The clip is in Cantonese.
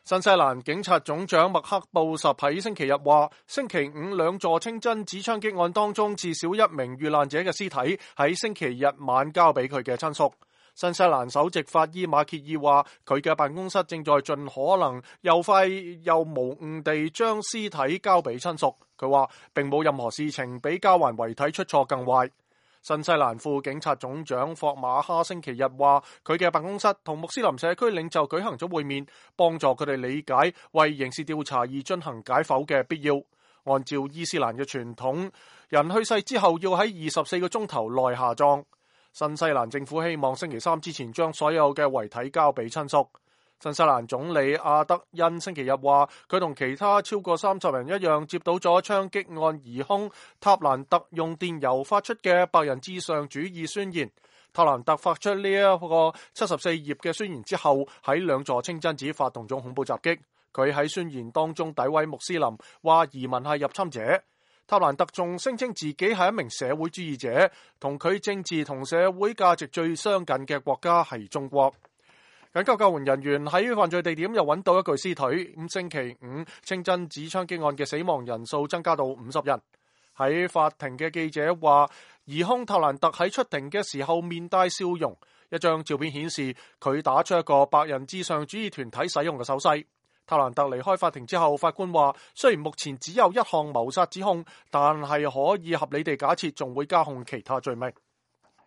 新西蘭警察總長麥克布什喺星期日話，星期五兩座清真寺槍擊案當中，至少一名遇難者嘅屍體喺星期日晚交俾佢嘅親屬。新西蘭首席法醫馬歇爾話，佢嘅辦公室正在盡可能又快又無誤地將屍體交俾親屬。佢話並冇任何事情比交還遺體出錯更壞。新西蘭副警察總長霍馬哈星期日話，佢嘅辦公室同穆斯林社區領袖舉行咗會面，幫助佢哋理解為刑事調查而進行解剖嘅必要。按照伊斯蘭嘅傳統，人去世之後要喺24個鐘頭內下葬。新西蘭政府希望星期三之前將所有嘅遺體交俾親屬。新西蘭總理阿德恩星期日話，佢同其他超過30人一樣，接到咗槍擊案疑兇塔蘭特用電郵發出嘅白人至上主義宣言。塔蘭特發出呢一個74頁嘅宣言之後，喺兩座清真寺發動咗恐怖襲擊。佢喺宣言當中詆毀穆斯林，話移民係入侵者。塔蘭特仲聲稱自己係一名社會主義者，同佢政治同社會價值最相近嘅國家係中國。緊急救援人員喺犯罪地點又揾到一具屍體。星期五清真寺槍擊案嘅死亡人數增加到50人。喺法庭嘅記者話，疑兇塔蘭特喺出庭嘅時候面帶笑容。一張照片顯示佢打出一個白人至上主義團體使用嘅手勢。塔蘭特離開法庭之後，法官話，雖然目前只有一項謀殺指控，但係可以合理地假設仲會加控其他罪名。